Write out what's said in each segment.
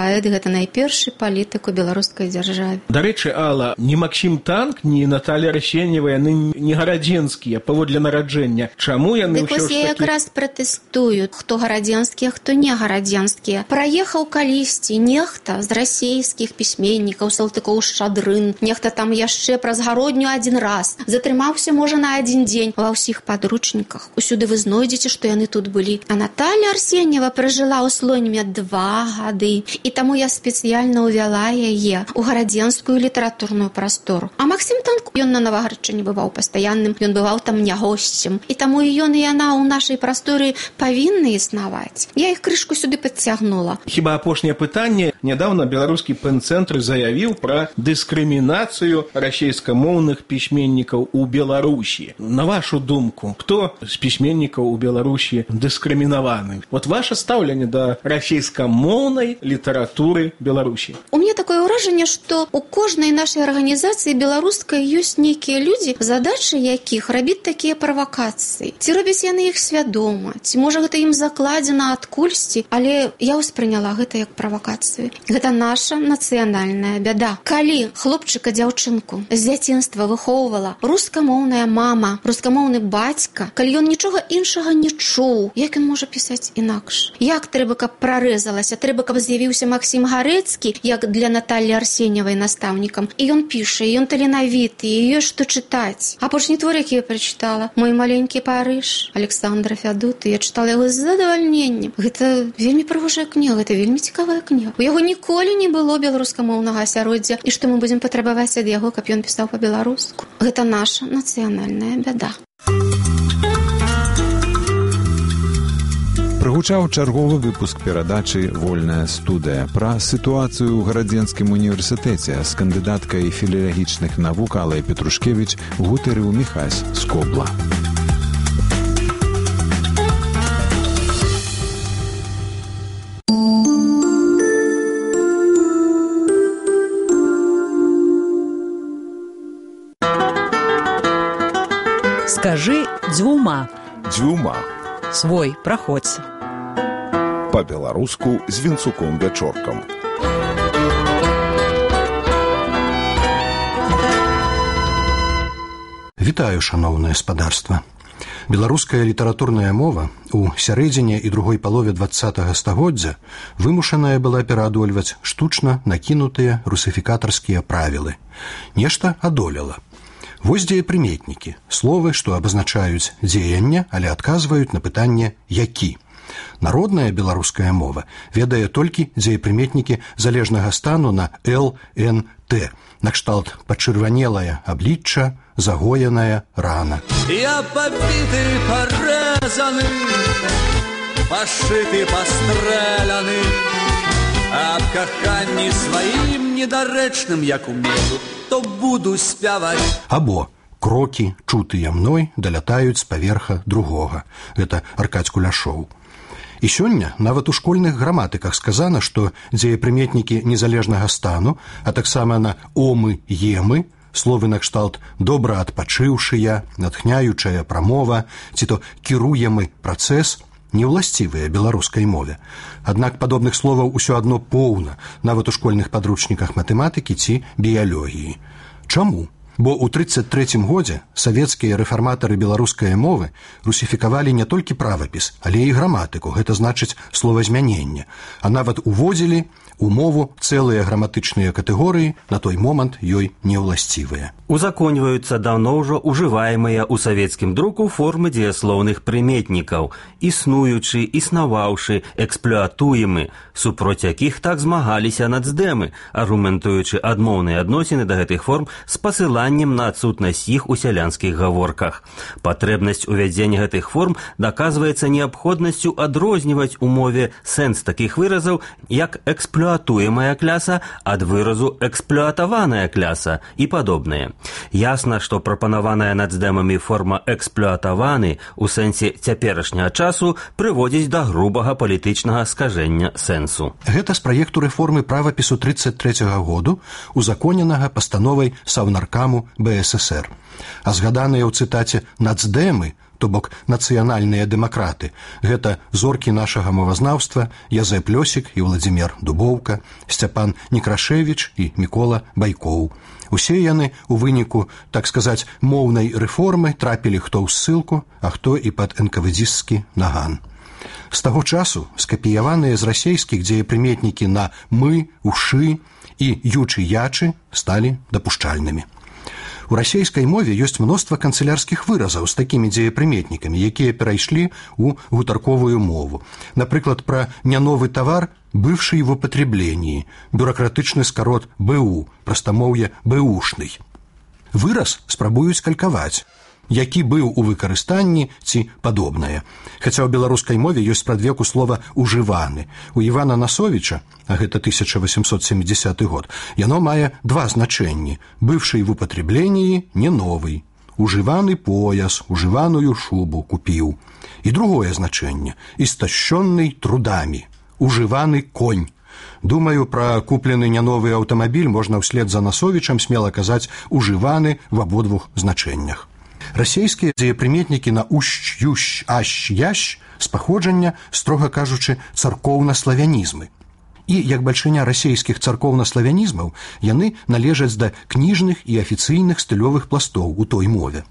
паэт, гэта найпершы палітык у беларускай дзяржаве. Дарэчы, Алла, ні Максім Танк, ні Наталья Арсеньева, яны не гарадзенскія паводле нараджэння. Чаму яны ўсё ж такі... Я якраз пратэстую, хто гарадзенскія, хто не гарадзенскія. Праехаў калісьці нехта з расейскіх пісьменнікаў, Салтыкоў-Шчадрын, нехта там яшчэ праз гародню адзін раз, затрымаўся, можа, на адзін дзень. Ва ўсіх падручніках усюды вы знойдзеце, што яны тут былі. А Наталья Арсеньева пражыла ў Слоніме 2 гады, і таму я спецыяльна ўвяла яе ў гарадзенскую літаратурную прастору. А Максім Танк, ён на Навагарадчыне бываў пастаянным, ён бываў там не госцем. І таму і ён, і яна ў нашай прасторы павінны існаваць. Я іх крышку сюды падцягнула. Хіба апошняе пытанне. Нядаўна беларускі пэн-цэнтр заявіў пра дыскрымінацыю расейскамоўных пісьменнікаў у Беларусі. На вашу думку, хто з пісьменнікаў у Беларусі дыскрымінаваны? Вот ваше стаўленне да расейскамоўнай літаратуры Беларусі. У мяне такое ўражанне, што у кожнай нашай арганізацыі беларускай ёсць нейкія людзі, задачы якіх рабіць такія правакацыі. Ці робяць яны іх свядома, ці можа гэта ім закладзена адкульсьці, але я ўспрыняла гэта як правакацыю. Гэта наша нацыянальная бяда. Калі хлопчыка дзяўчынку з дзяцінства выхоўвала рускамоўная мама, рускамоўны бацька, калі ён нічога іншага не чуў, як ён можа пісаць інакш? Як трэба, каб прарэзалася? Трэба, каб з'явіўся Максім Гарэцкі, як для Натальі Арсеньевай настаўнікам. І ён піша, і ён таленавіты, і ёсць што чытаць. Апошні твор, які я прачытала, «Мой маленькі Парыж» Александра Фядуты, я чытала яго з задавальненнем. Гэта вельмі прыгожая кніга, гэта вельмі цікавая кніга. У яго ніколі не было беларускамоўнага асяроддзя, і што мы будзем патрабаваць ад яго, каб ён пісаў па-беларуску? Гэта наша нацыянальная бяда. Прагучаў чарговы выпуск перадачы «Вольная студыя» пра сітуацыю ў Гарадзенскім універсітэце з кандыдаткай філалагічных навук Аллай Петрушкевіч гутарыў Міхась Скобла. Скажи дзвюма. Дзвюма. Свой, праходзь. Па-беларуску з Вінцуком-Вячоркам. Вітаю, шаноўнае спадарства. Беларуская літаратурная мова у сярэдзіне і другой палове 20-го стагоддзя вымушаная была пераадольваць штучна накінутыя русіфікатарскія правілы. Нешта адолела. Вось дзеепрыметнікі, словы, што абазначаюць дзеянне, але адказваюць на пытанне «які». Народная беларуская мова ведае толькі дзеепрыметнікі залежнага стану на «л», «н», «т», накшталт пачырванелае аблічча, загоеная рана. Я побіты, парэзаны, пашыты, пастрэляны, аб каханні сваім недарэчным, як умею, то буду спяваць. Або крокі, чутыя мной, далятаюць з паверха другога. Гэта Аркадзь Куляшоў. І сёння нават у школьных граматыках сказана, што дзеепрыметнікі незалежнага стану, а таксама на «омы», «емы», словы накшталт «добра адпачыўшыя», «натхняючая прамова» ці то «кіруемы працэс» неўласцівыя беларускай мове. Аднак падобных словаў усё адно поўна, нават у школьных падручніках матэматыкі ці біялогіі. Чаму? Бо ў 1933 годзе савецкія рэфарматары беларускай мовы русіфікавалі не толькі правапіс, але і граматыку, гэта значыць словазмяненне, а нават уводзілі у мову цэлыя граматычныя катэгорыі, на той момант ёй неўласцівыя. Узаконьваюцца даўно ўжо ўжываемыя ў савецкім друку формы дзеяслоўных прыметнікаў, існуючы, існаваўшы, эксплуатуемы, супроць якіх так змагаліся нацдэмы, аргументуючы адмоўныя адносіны да гэтых форм з пасыланнем на адсутнасць іх у сялянскіх гаворках. Патрэбнасць увядзення гэтых форм даказваецца неабходнасцю адрозніваць у мове сэнс такіх выразаў, як эксплуатуемая кляса ад выразу эксплуатаваная кляса і падобнае. Ясна, што прапанаваная нацдэмамі форма эксплуатаваны ў сэнсе цяперашняга часу прыводзіць да грубага палітычнага скажэння сэнсу. Гэта з праекту рэформы правапісу 1933 году, узаконенага пастановай Саўнаркаму БССР. А згаданыя ў цытаце «нацдэмы» то бок нацыянальныя дэмакраты. Гэта зоркі нашага мовазнаўства Язэп Лёсік і Владзімір Дубоўка, Сцяпан Некрашевіч і Мікола Байкоў. Усе яны у выніку, так сказаць, моўнай рэформы трапілі хто ў ссылку, а хто і пад энкавэдзістскі наган. З таго часу скапіяваныя з расейскіх дзеепрыметнікі на «мы», «ушы» і «ючы-ячы» сталі дапушчальнымі. У расейскай мове ёсць мноства канцылярскіх выразаў з такімі дзеепрыметнікамі, якія перайшлі ў гутарковую мову. Напрыклад, пра няновы тавар «бывший в употреблении», бюракратычны скарот «БУ», прастамоўе «БУшный». Выраз спрабуюць калькаваць, які быў у выкарыстанні ці падобнае. Хаця ў беларускай мове ёсць спрадвеку слова «ужываны». У Івана Насовіча, а гэта 1870 год, яно мае два значэнні. «Бывший в употреблении» не новый. «Ужываны пояс», «ужываную шубу купіў». І другое значэнне – «истощенный трудами», «ужываны конь». Думаю, пра куплены няновы аўтамабіль можна ўслед за Насовічам смела казаць «ужываны» в абодвух значэннях. Расейскія дзеепрыметнікі на «ущ», «ющ», «ащ», «ящ» з паходжання, строга кажучы, царкоўна-славянізмы. І, як бальшыня расейскіх царкоўна-славянізмаў, яны належаць да кніжных і афіцыйных стылёвых пластоў у той мове.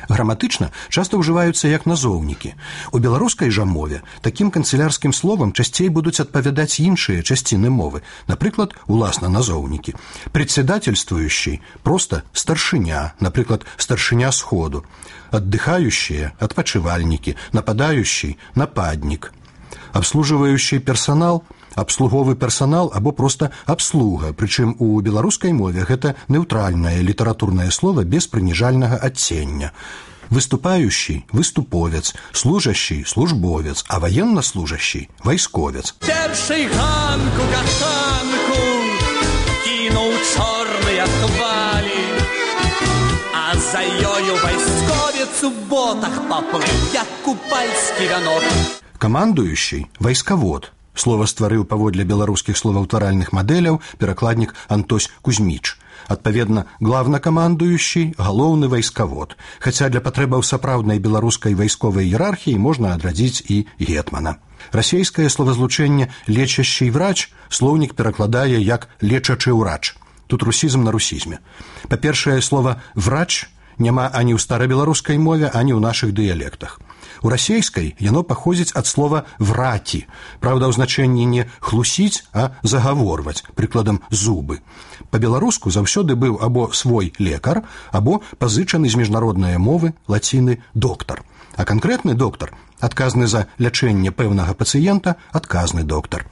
Граматычна часта ўжываюцца як назоўнікі. У беларускай жа мове такім канцылярскім словам часцей будуць адпавядаць іншыя часціны мовы, напрыклад, уласна назоўнікі. Председательствующий – проста старшыня, напрыклад, старшыня сходу. Аддыхающие – адпачывальнікі, нападающий – нападнік. Абслуживающий персонал – абслуговы персонал або проста абслуга, прычым у беларускай мове гэта неўтральнае літаратурнае слово без прыніжальнага адцення. Выступающий – выступовец, служащий – службовец, а военнослужащий – вайсковец. Перший ганку каханку кинуў чорныя хвалі, а за ёю вайсковец у ботах паплыў, як купальскі вянок. Камандующий – вайскавод. Слова стварыў паводле беларускіх словаўтваральных мадэляў перакладнік Антось Кузьміч. Адпаведна, главнакамандуючий – галоўны вайскавод, хаця для патрэбаў сапраўднай беларускай вайсковай іерархіі можна адрадзіць і гетмана. Расейскае словазлучэнне «лечащий врач» слоўнік перакладае як «лечачы ўрач». Тут русізм на русізме. Па-першае, слова «врач» няма ані ў старабеларускай мове, ані ў нашых дыялектах. У расейскай яно паходзіць ад слова «враті», праўда, ў значэнні не «хлусіць», а «загаворваць», прыкладам «зубы». Па-беларуску заўсёды быў або свой лекар, або пазычаны з міжнароднае мовы лаціны «доктар». А канкрэтны доктар, адказны за лячэнне пэўнага пацыента, адказны доктар.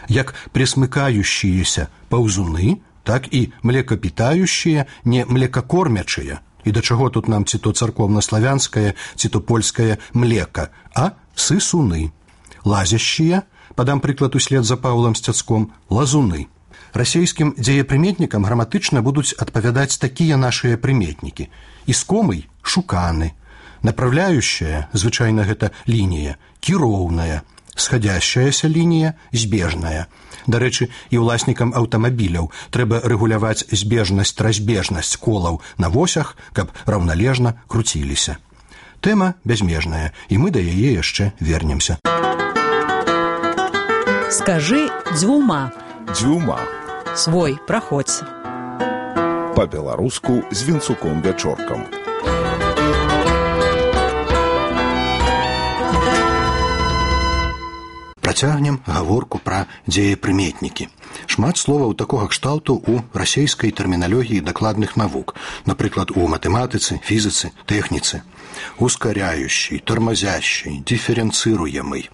Як пресмыкающиеся паўзуны, так і млекапітающие, не млекакормячыя. І да чаго тут нам ці то царкоўна-славянскае, ці то польскае млека, а сысуны. Лазящие, падам прыклад услед за Паўлам Сцяцком, лазуны. Расейскім дзеепрыметнікам граматычна будуць адпавядаць такія нашыя прыметнікі. Іскомый – шуканы. Направляющая, звычайна гэта лінія, кіроўная. Сходящаяся лінія – збежная. Дарэчы, і ўласнікам аўтамабіляў трэба рэгуляваць збежнасць-разбежнасць колаў на восях, каб раўналежна круціліся. Тэма бязмежная, і мы да яе яшчэ вернемся. Скажы дзвюма. Дзвюма. Свой праходзь. Па-беларуску з Вінцуком-Вячоркам. Працягнем гаворку пра дзеепрыметнікі. Шмат словаў такога кшталту ў расейскай тэрміналогіі дакладных навук, напрыклад, у матэматыцы, фізіцы, тэхніцы. Ускаряющий, тормозящий, диференцыруемый.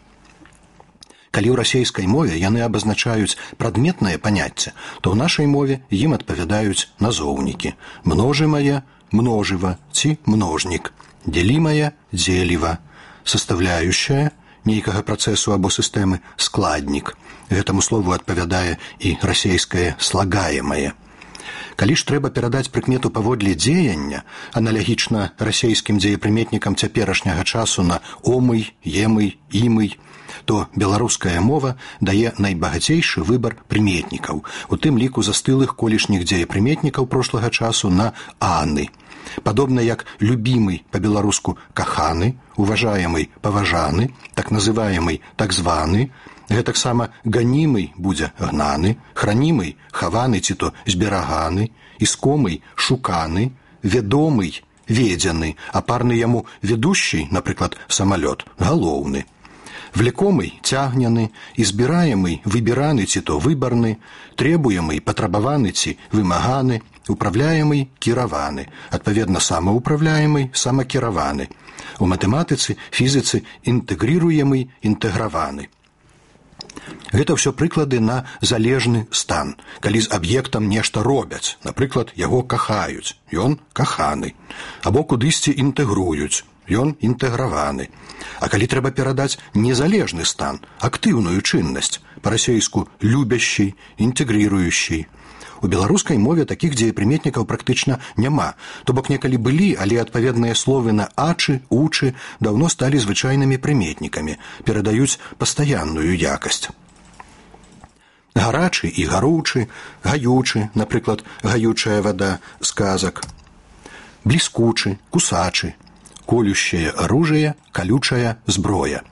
Калі ў расейскай мове яны абазначаюць прадметнае паняцце, то ў нашай мове ім адпавядаюць назоўнікі. Множымае – множыва ці множнік, дзелімае – дзеліва, составляющая – нейкага працэсу або сістэмы складнік. Гэтаму слову адпавядае і расейскае слагаемае. Калі ж трэба перадаць прыкмету паводле дзеяння, аналагічна расейскім дзеепрыметнікам цяперашняга часу на омый, емый, імый, то беларуская мова дае найбагацейшы выбар прыметнікаў, у тым ліку застылых колішніх дзеепрыметнікаў прошлага часу на аны. Падобна як любімый па-беларуску каханы, уважаемый паважаны, так называемый так званы, гэтаксама ганімый будзе гнаны, хранімый хаваны ці то збераганы, іскомый шуканы, вядомый ведзены, а парны яму ведущий, напрыклад, самалёт, галоўны. Влекомый цягнены, избираемый выбіраны ці то выбарны, требуемый патрабаваны ці вымаганы, управляемый кіраваны, адпаведна самаўпраўляемый самакіраваны. У матэматыцы, фізіцы інтэгрыруемый інтэграваны. Гэта ўсё прыклады на залежны стан, калі з аб'ектам нешта робяць, напрыклад, яго кахаюць, ён каханы, або кудысьці інтэгруюць, ён інтэграваны. А калі трэба перадаць незалежны стан, актыўную чыннасць, па-расейску любящий, інтэгрыруючий. У беларускай мове такіх дзеепрыметнікаў практычна няма, то бок некалі былі, але адпаведныя словы на ачы, учы даўно сталі звычайнымі прыметнікамі, перадаюць пастаянную якасць. Гарачы і гаручы, гаючы, напрыклад, гаючая вада з казак, бліскучы, кусачы, колющее оружие, колючая зброя.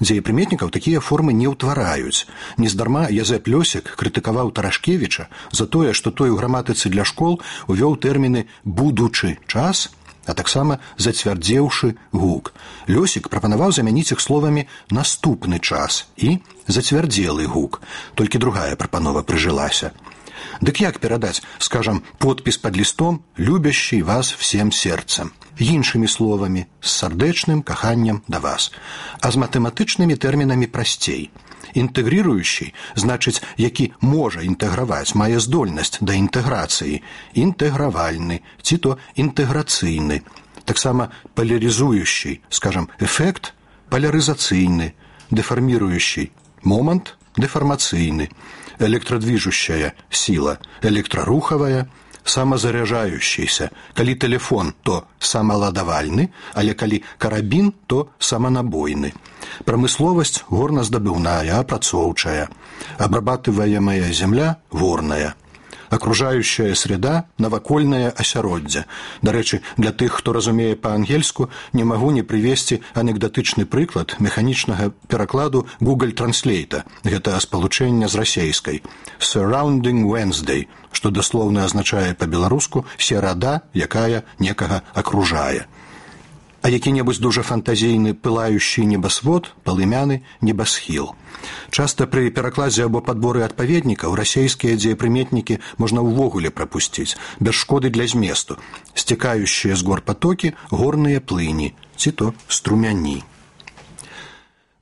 Дзеепрыметнікаў такія формы не ўтвараюць. Нездарма Язэп Лёсік крытыкаваў Тарашкевіча за тое, што той у граматыцы для школ увёў тэрміны «будучы час», а таксама «зацвярдзеўшы гук». Лёсік прапанаваў замяніць іх словамі «наступны час» і «зацвярдзелы гук». Толькі другая прапанова прыжылася. Дык як перадаць, скажам, подпіс пад лістом «любящий вас всем сердцем»? Іншымі словамі, з сардэчным каханнем да вас. А з матэматычнымі тэрмінамі прасцей. Інтэгрыруючы, значыць, які можа інтэграваць, мае здольнасць да інтэграцыі. Інтэгравальны, ці то інтэграцыйны. Таксама палярызуючы, скажам, эфект палярызацыйны, дэфарміруючы, момант дэфармацыйны, электрадвижущая сила, электрарухавая, самозаряжающийся. Калі телефон, то самаладавальны, але калі карабін, то саманабойны. Прамысловасць горназдабыўная, апрацоўчая. Абрабатываемая земля горная. Окружающая среда – навакольнае асяроддзе. Дарэчы, для тых, хто разумее па-ангельску, не магу не прывесці анекдатычны прыклад механічнага перакладу Google Translate. Гэта спалучэнне з расейскай. Surrounding Wednesday, што даслоўна азначае па-беларуску «серада, якая некага акружае». А які-небудзь дужа фантазійны пылающий небасвод, палымяны небасхіл. Часта пры перакладзе або падборы адпаведнікаў расейскія дзеепрыметнікі можна ўвогуле прапусціць, без шкоды для зместу, сцякающыя з гор патокі горныя плыні, ці то струмяні.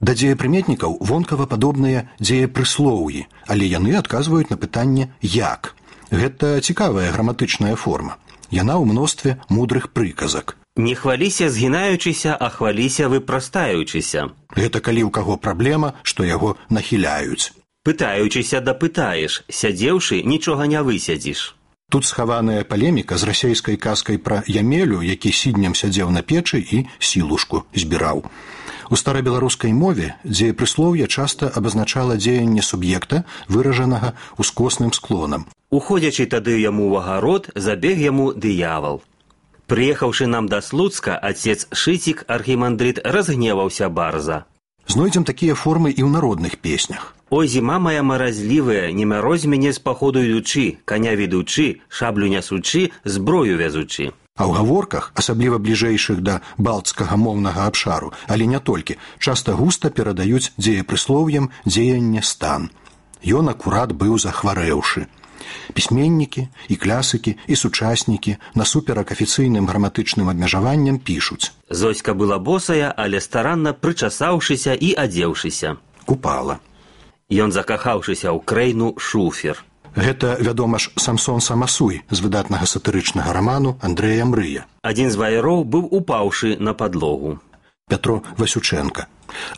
Да дзеепрыметнікаў вонкава падобныя дзеепрыслоўі, але яны адказваюць на пытанне «як». Гэта цікавая граматычная форма. Яна ў мностве мудрых прыказак. Не хваліся згінаючыся, а хваліся выпрастаючыся. Гэта калі ў каго праблема, што яго нахіляюць. Пытаючыся дапытаеш, сядзеўшы нічога не высядзіш. Тут схаваная палеміка з расейскай казкай пра Ямелю, які сіднем сядзеў на печы і сілушку збіраў. У старабеларускай мове дзеепрыслоўе часта абазначала дзеянне суб'екта, выражанага ускосным склонам. Уходзячы тады яму ў агарод, забег яму дыявал. Прыехаўшы нам да Слуцка, отец Шыцік, архімандрыт, разгневаўся барза. Знойдзем такія формы і ў народных песнях. Ой, зіма моя маразлівая, не мярозь мяне з паходу ідучы, каня ведучы, шаблю нясучы, зброю вязучы. А ў гаворках, асабліва бліжэйшых да балцкага моўнага абшару, але не толькі, часта густа перадаюць дзеепрыслоўем дзеянне стан. Ён акурат быў захварэўшы. Пісьменнікі і клясыкі і сучаснікі насуперак афіцыйным граматычным абмежаванням пішуць. Зоська была босая, але старанна прычасаўшыся і адзеўшыся. Купала. Ён закахаўшыся ў крэйну шуфер. Гэта, вядома ж, Самсон Самасуй з выдатнага сатырычнага раману Андрэя Мрыя. Адзін з ваяроў быў упаўшы на падлогу. Пятро Васючэнка.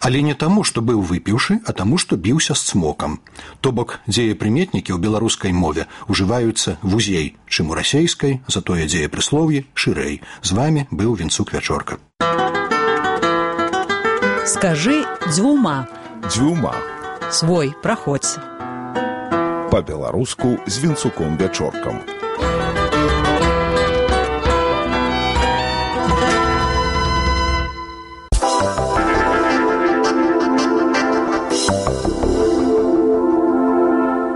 Але не таму, што быў выпіўшы, а таму, што біўся з цмокам. То бок дзеепрыметнікі ў беларускай мове ўжываюцца вузей, чым у расейскай, затое дзеепрыслоўі шырэй. З вамі быў Вінцук Вячорка. Скажы дзвюма. Дзвюма. Свой праходзь. Па-беларуску з Вінцуком Вячоркам.